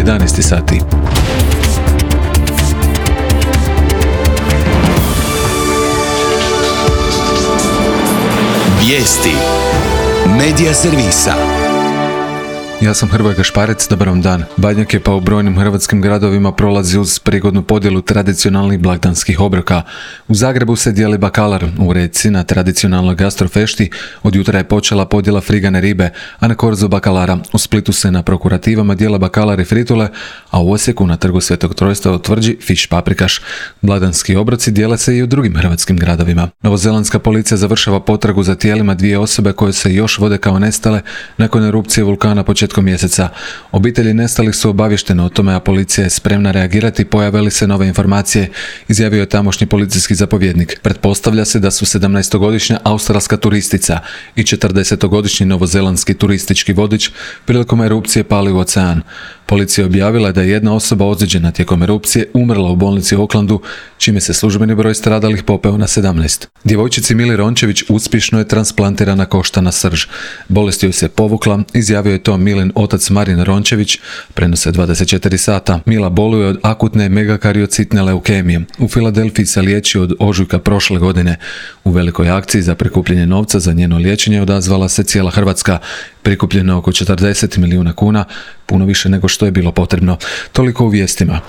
11 sati. Vijesti Medija servisa. Ja sam Hrvoje Gašparec, dobar vam dan. Badnjak je pa u brojnim hrvatskim gradovima prolazi uz prigodnu podjelu tradicionalnih blagdanskih obroka. U Zagrebu se dijeli bakalar, u Rijeci na tradicionalnoj gastrofešti od jutra je počela podjela frigane ribe, a na korzu bakalara. U Splitu se na prokurativama dijela bakalar i fritule, a u Osijeku na trgu Svetog Trojstva u Tvrđi fiš paprikaš. Blagdanski obroci dijele se i u drugim hrvatskim gradovima. Novozelandska policija završava potragu za tijelima dvije osobe koje se još vode kao nestale nakon erupcije vulkana početkom mjeseca. Obitelji nestalih su obavještene o tome, a policija je spremna reagirati pojave li se nove informacije, izjavio je tamošnji policijski zapovjednik. Pretpostavlja se da su 17-godišnja australska turistica i 40-godišnji novozelandski turistički vodič prilikom erupcije pali u ocean. Policija je objavila da je jedna osoba ozlijeđena tijekom erupcije umrla u bolnici u Aucklandu, čime se službeni broj stradalih popeo na 17. Djevojčici Mili Rončević uspješno je transplantirana koštana srž. Bolest joj se povukla, izjavio je to Milin otac Marin Rončević, prenose 24 sata. Mila boluje od akutne megakariocitne leukemije. U Filadelfiji se liječi od ožujka prošle godine. U velikoj akciji za prikupljanje novca za njeno liječenje odazvala se cijela Hrvatska. Prikupljeno oko 40 milijuna kuna, puno više nego što je bilo potrebno. Toliko u vijestima.